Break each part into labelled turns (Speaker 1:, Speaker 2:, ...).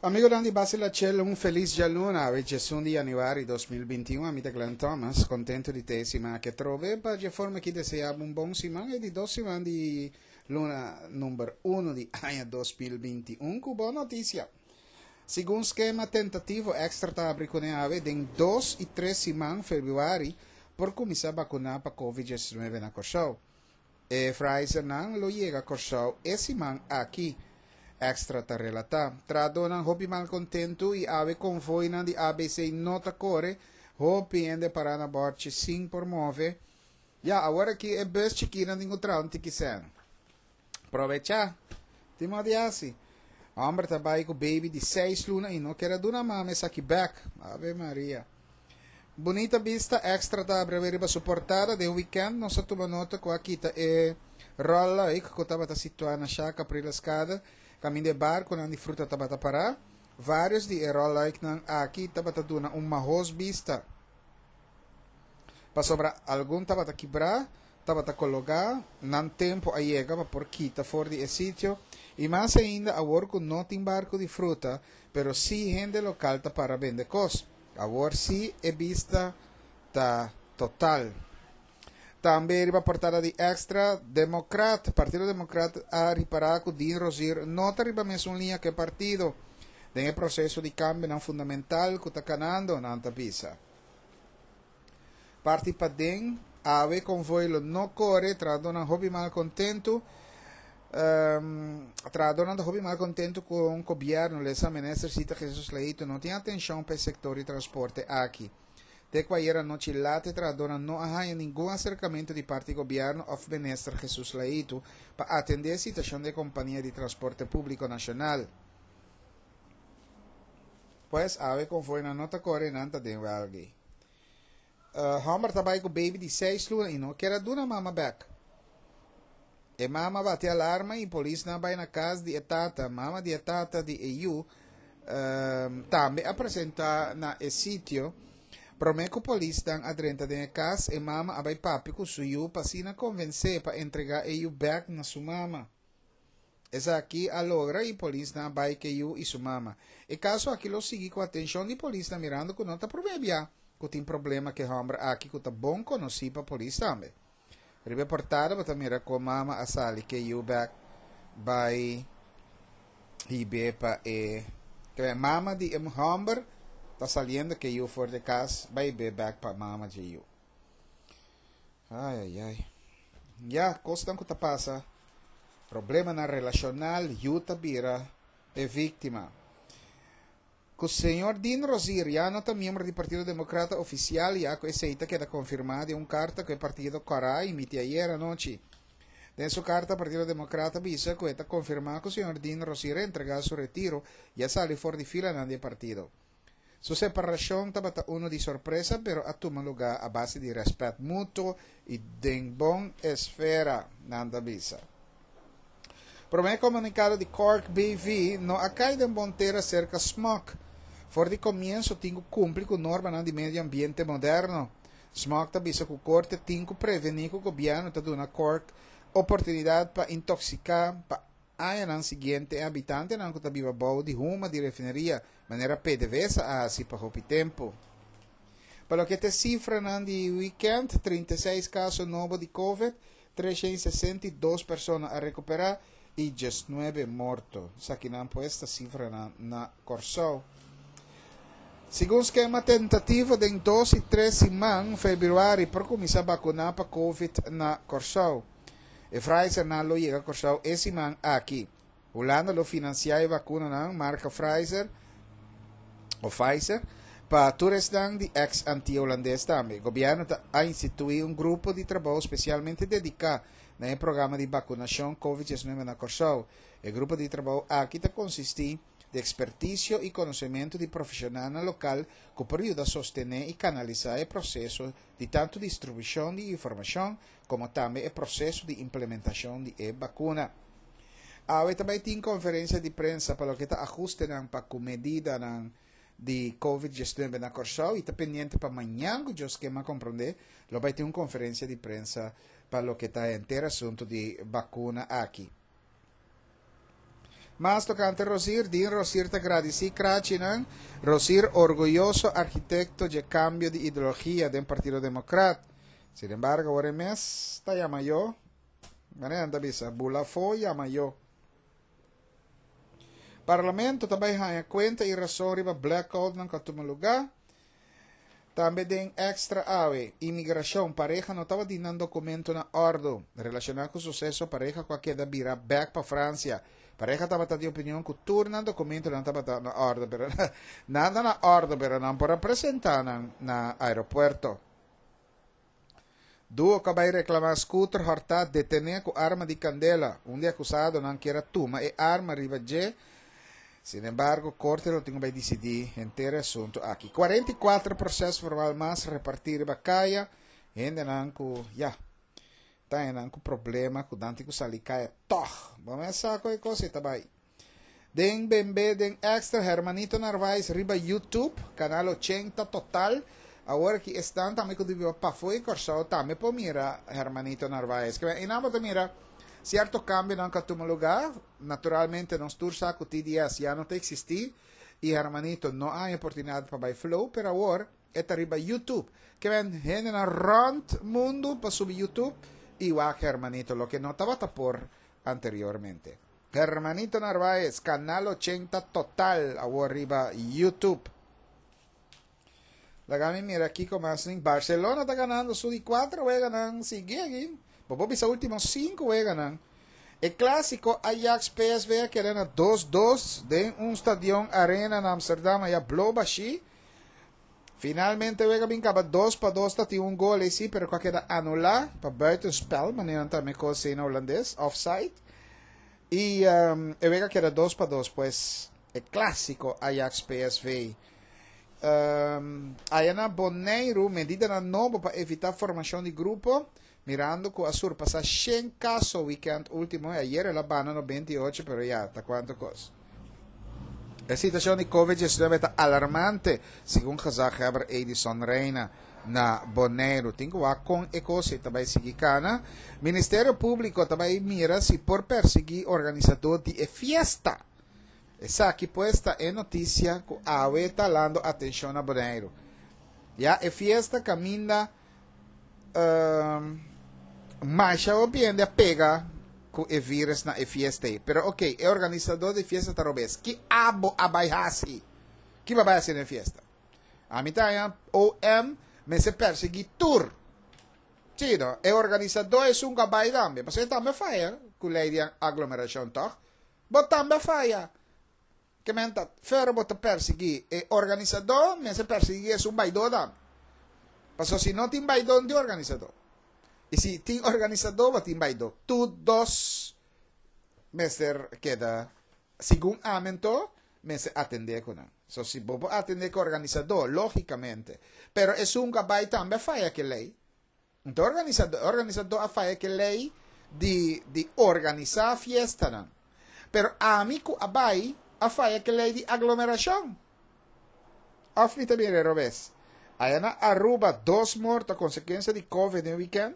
Speaker 1: Amigonan di Base La Chel, un felis djaluna, awe djesun di januari 2021. Ami ta Glenn Thomas, contento di te e siman aki atrobe. Pa dje forma aki desea bo un bon siman, e di dos siman di luna number uno di aña 2021 cu bon noticia. Segun skema tentativo Extra ta habri cune awe, den dos y tres siman, februari, por cuminsa vacuna pa Covid 19 na Corsou. E Pfizernan lo yega Kòrsou e siman aki, Extra ta relatá. Trahadónan hopi malkontentu i awe konvoinan di ABC no ta kore, hopi hende pará na bòrchi sin por move. Ya, awor aki e bus chikinan tin ku traha un tiki sèn. Probechá! Tin mò di hasi. Hòmber ta bai ku baby di seis luna i no ker a duna mama esaki bèk. Ave Maria! Bunita bista Extra ta abri awe riba su portada. Den weekend nos a tuma nota cu a kita e rolluik cu tabata situa na Sha Caprileskade, caminda e barconan di fruta tabata para. Varios di e rolluiknan aki tabata duna un mahos bista, pasobra algun tabata kibra, tabata kologa, nan tempo a yega pa por kita for di e sitio, y mas ainda awor cu no tin barco di fruta, pero si hende local ta para bende cos. Awor sí e bista ta total. Tambe riba portada di Extra, Democrat, Partido Democrat a ripara cu Dean Rozier no ta riba mesun liña cu e partido den e proceso di cambionan fundamental cu ta canando, nan ta bisa. Parti paden, awe konvoi lo no kore, trahadónan hopi mal kontentu. Trahadónan ta hopi mal kontentu ku gobièrnu, lesa minister Sita Jesus Leito no tin atenshon pa e sektor di transporte aki. Te ku ayera nochi lat e trahadónan no a haña ningun aserkamentu di parti gobièrnu òf minister Jesus Leito pa atendé e situashon di e kompania di transporte públiko nashonal. Pues awe konvoinan no ta kore, nan ta den wèlg'i. Homber ta bai ku baby di seis luna i no kier a duna mama bek. E mama bati alarma i polisnan a bai na kas di e tata. Mama di e tata di e yu tambe a presenta na e sitio. Prome ku polisnan a drenta den e kas, e mama a bai papia ku su yu pa asina konvensé pa entrega e yu bek na su mama. Esaki a logra y polisnan a bay ke yu y su mama. E caso aki lo sigui cu atencion di polisnan mirando cu no ta prome bia cu tin problema ke homber aki cu ta bon conoci pa polis tambe. Riba e portada bo ta mira con mama a sali ke yu bek bay hibe pa e mama di e homber ta saliendo ke yu for di cas bay hibe bek pa mama dje yu. Ai ai ai. Ya, kosnan ku ta pasa, problemanan relashonal, yu ta bira e víktima. Ku señor Dean Rozier ya no ta miembro di Partido Demokrata ofisial ya ku esei ta keda konfirmá den un karta ku e partido kòrá a emití ayer anochi. Den su karta Partido Demokrata a bisa ku e ta konfirmá ku señor Dean Rozier a entregá su retiro i a sali for di filanan di e partido. Su separashon tabata unu di sorpresa pero a tuma lugá a base di rèspèt mutuo i den bon esfera, nan ta bisa. Promé komunikado di Cork BV no a kai den bon tera serka SMOC. For di komienso tin ku kumpli ku normanan di medio ambiente moderno. SMOC ta bisa ku korte tin ku prevení ku gobièrnu ta duna Cork oportunidat pa intoksiká pa Añanan siguiente e habitantenan ku ta biba bou di huma di refineria, manera PDVSA a hasi pa hopi tempu. Pa loke ta e sifranan di wikènt, 36 kaso nobo di covid, 362 persona a rekuperá i 19 morto. Esakinan pues ta sifranan na Kòrsou. Segun skema tentativo den dos i tres siman, febrüari, por kuminsá bakuná pa covid na Kòrsou. E Pfizernan lo yega Kòrsou e siman aki. Hulanda lo finansiá e vakunanan marka Pfizer o Pfizer pa tur esnan di eks Antia Hulandes tambe. Gobièrnu ta a instituí un grupo di trabou spesialmente dediká na e programa di bakunashon Covid 19 na Kòrsou. E grupo di trabou aki ta konsistí di ekspertisio i konosementu di profeshonalnan lokal ku por yuda sostené i kanalisá e proseso di tantu distribushon di informashon komo tambe e proseso di implementashon di e bakuna. Awe ta bai tin konferensia di prensa pa loke ta ahustenan pa ku medidanan di Covid 19 na Kòrsou i ta pendiente pa mañan ku Dios ke m'a komprondé lo bai tin un konferensia di prensa pa loke ta henter asuntu di bakuna aki. Mas tokante Rosier, Dean Rosier ta gradisí krachinan. Rosier orguyoso arkitekto dje kambio di ideologia den Partido Demokrat. Sin embargo awor e mes ta yama yo, manera nan ta bisa, bula afó yama yo. Parlamento ta bai haña kuenta i rason riba blackoutnan ku a tuma lugá. Tambe den Extra awe, Imigrashon, pareha no tabatin nan dokumento na òrdu. Relashoná ku suseso pareha ku a keda bira bèk pa Fransia. Pareha tabata di opinion ku tur nan dokumentonan tabata na òrdu, pero nan ta na òrdu pero nan por a presentá nan na aeropuerto. Duo ku a bai reklamá skuter hòrtá detené ku arma di kandela. Un di akusadonan kier a tuma e arma riba dje. Sinembargo, korte lo tin ku bai disidí henter e asuntu aki. 44 proses formal mas repartí riba kaya. Hendenan ku, ya, ta hendenan ku problema ku nan tin ku sali kaya tòg. Bo mes sa ku e kos ei ta bai. Den Bembe den Extra Hermanito Narvaez riba YouTube, Canal 80 Total. Awor aki esnan tambe ku ta biba pafó di Kòrsou tambe por mira Hermanito Narvaez. Ke einan bo ta mira sierto kambionan ku a tuma lugá. Naturalmente nos tur sa ku TDS ya no ta eksistí i Hermanito no a haña oportunidat pa bai flow, pero awor e ta riba YouTube. Ke men hendenan rònt mundu pa subi YouTube i wak Hermanito, loke no tabata por anteriormente. Hermanito Narvaez, Canal 80 Total, awor riba YouTube. Laga mi mira kiko mas nin. Barcelona ta ganando su di 4 weganan sigui aki. Bo por bisa ultimo 5 weganan. E clásico Ajax PSV a keda na 2-2 den un stadion arena na Amsterdam aya blo bashi. Finalmente wega bin kaba 2-2 ta tin un gol esi pero ku a keda anulá pa buitenspel manera nan ta me kos na holandes offside. I um, e wega keda 2-2 pues e clásico Ajax PSV. Um, aya na Boneiru medidanan nobo pa evitá formashon di grupo mirando ku a surpasá 100 kaso weekend último i ayer el a bana 98 pero ya ta kuantu kos. E situashon di Covid-19 ta alarmante, segun gezaghebber Edison Reina na Boneiru. Tin ku wak kon e kos ei ta bai sigui kana. Ministerio Públiko ta bai mira si por persiguí organisadó di e fiesta. Esaki pues ta e notisia ku awe ta halando atenshon na Boneiru. Ya e fiesta kaminda um, masha hopi hende a pega ku e virus na e fiesta ei. Pero ok, e organisadó di fiesta ta robes. Ki abo a bai hasi? Ki bo a bai hasi na e fiesta? Ami ta haña OM mester persiguí tur. Sí, no? E organisadó esun ku a bai tambe. Pasobra e tambe a faya ku lei di aglomerashon, tòg? Bo tambe a faya. Ke men ta fer bo ta persiguí e organisadó, mester persiguí esun baidó tambe. Pasobra si no tin baidó, no tin organisadó. I si tin organisadó, bo tin baidó. Tur dos mester keda, segun ami anto, mester atendé ku nan. So si bo por atendé ku organisadó, lógikamente. Pero esun ku a bai tambe a faya ke lei. Anto organisadó, organisadó a faya ke lei di di organisá fiestanan. Pero ami ku a bai a faya ke lei di aglomerashon. Òf mi ta mira e robes? Aya na Aruba dos morto a konsekuensia di Covid den wikènt.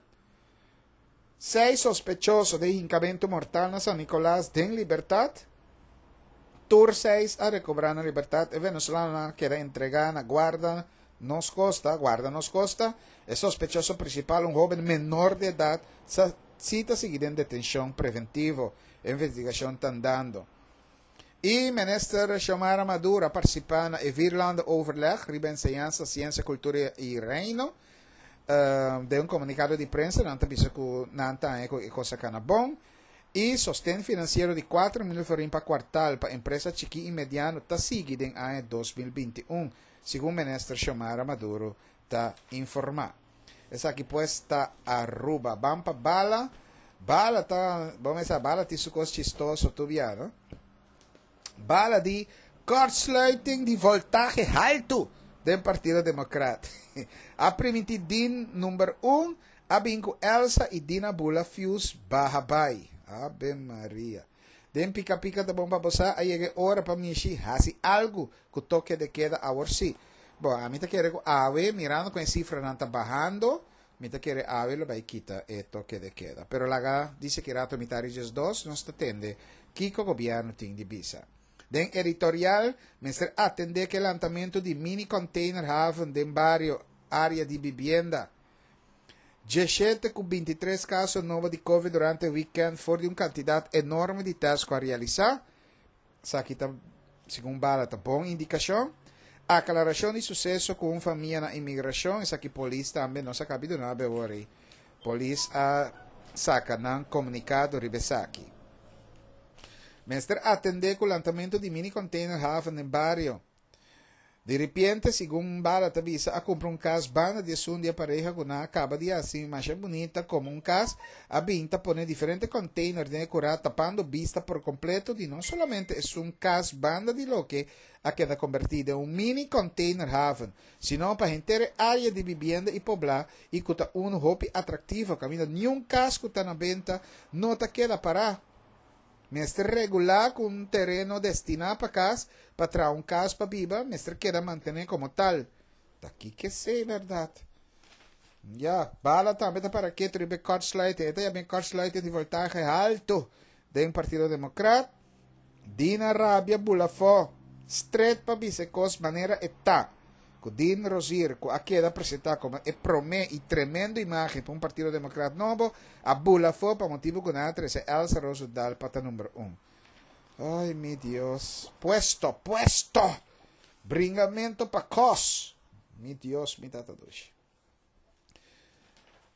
Speaker 1: Seis sospechoso den hinkamentu mortal na San Nicolas den libertat. Tur seis a rekobrá nan libertat. E venezolanonan a keda entregá na guarda nos kosta, guarda nos kosta. E sospechoso principal, un hoben menor di edad, sa si ta sigui den detencion preventivo. E investigacion ta andando. Y Minister Xiomara Maduro a participa na e Vierlandenoverleg riba enseñansa, ciencia, cultura y reino. Den un comunicado di prensa nan ta bisa cu nan ta haña cu e cos a cana bon. Y sosten financiero di 4 mil florin pa kwartaal pa empresa chiki y mediano ta sigui den aña 2021, segun Minister Xiomara Maduro ta informa. Esaki pues ta Aruba. Ban pa Bala. Bala ta, bo mesa Bala tin su cos chistoso tur bia, no? Bala di kortsluiting di voltahe haltu den Partido Democrat. A priminti Dean number 1, a bin cu Elsa y Dina bula fuse baha bay. Ave Maria. Den Pika Pika ta bon pa bo sa, a yega e ora pa mishi hasi algu ku toke de keda awor sí. Bon, ami ta kere ku awe, mirando kon e sifranan ta bahando, mi ta kere awe lo bai kita e toke de keda. Pero laga di seki rato mitad di 12 nos ta tende. Kiko gobièrnu tin di bisa. Den editorial mester atendé ku e lantamentu di mini containerhaven den bario, área di bibienda. Dieshete ku bintitres kaso nobo di covid durante e wikènt for di un kantidat enorme di tèst ku a realisá. Esaki ta, segun Bala, ta bon indikashon. Aklarashon di suseso ku un famia na imigrashon, esaki polis tambe nos a kabi duna awor ei. Polis a saka nan komunikado riba esaki. Mester atendé ku lantamentu di mini container haven den bario. Di ripiente, segun Bala ta bisa, a kumpra un kas banda di esun di e pareha ku nan a kaba di hasi masha bunita komo un kas, a bin ta pone diferente container den e kurá tapando bista por kompleto di no solamente esun kas banda di loke a keda kombertí den un mini container haven, sino pa henter e área di bibienda i poblá i ku ta unu hopi atraktivo kaminda niun kas ku ta na benta no ta keda pará. Mester regulá ku un tereno destiná pa kas pa traha un kas pa biba mester keda mantené komo tal. Ta kiko esei bèrdat? Ya, bala tambe ta para ketu riba e kortsluiting. E ta yama e kortsluiting di voltahe haltu den Partido Demokrat. Dina rabia bula afó, stret pa bisa e kos manera e ta. Ku Dean Rozier, ku a keda presentá komo e promé i tremendo imágen pa un Partido Demokrat nobo, a bula afó pa motibu ku nan a trese Elsa Rozendal pa ta number un. Ay, mi Dios. Puesto, puesto! Bringamento pa kos! Mi Dios, mi tata dushi.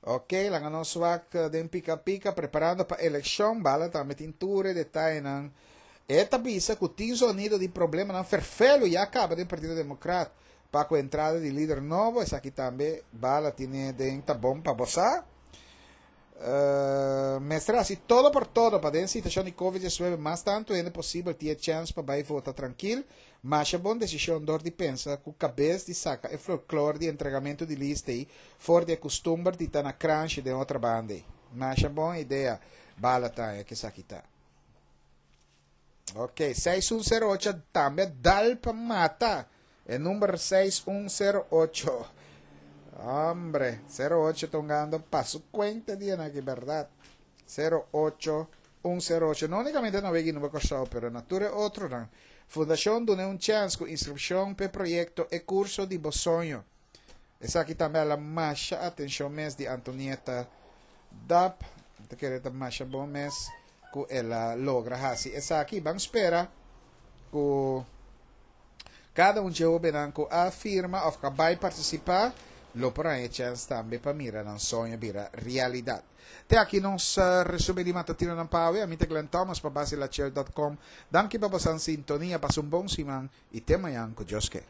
Speaker 1: Ok, laga nos wak den pika pika preparando pa elekshon. Bala tambe tin tur e detayenan. E ta bisa ku tin zonido di problemanan ferfelu ya kaba den Partido Demokrat pa ku entrada di lider nobo. Esaki tambe Bala tine den ta bon pa bo sa. Mester hasi todo por todo pa den situashon di Covid 19 mas tantu hende posibel tin e chèns pa bai vota trankil. Masha bon desishon dor di pensa ku kabes di saka e folklor di entregamentu di lista ei for di e kustumber di ta na kranshi den otra banda ei. Masha bon idea Bala ta haña ku esaki ta. Ok, 6108 tambe a dal pa mata. E number 6108. Hombre, 08 ta hungando pa su cuenta dia na aki, berdad. 08108. No únicamente na Wegi Nuba Kòrsou, pero na tur e otronan. Fundashon duna un chèns ku inskripshon p'e proyekto E Kurso di Bo Soño. Esaki tambe a la masha atenshon mes di Antonieta Dap. Mi ta kere ta masha bon mes ku el a logra hasi esaki. Ban spera ku kada un dje hobennan ku a firma òf ku a bai partisipá lo por haña e chèns tambe pa mira nan soño bira realidat. Te aki nos resumen di Matutinonan pa awe. Ami ta Glenn Thomas pa Basilachel dot com. Danki pa bosan sintonia. Pasa un bon siman i te mañan ku Dios ke.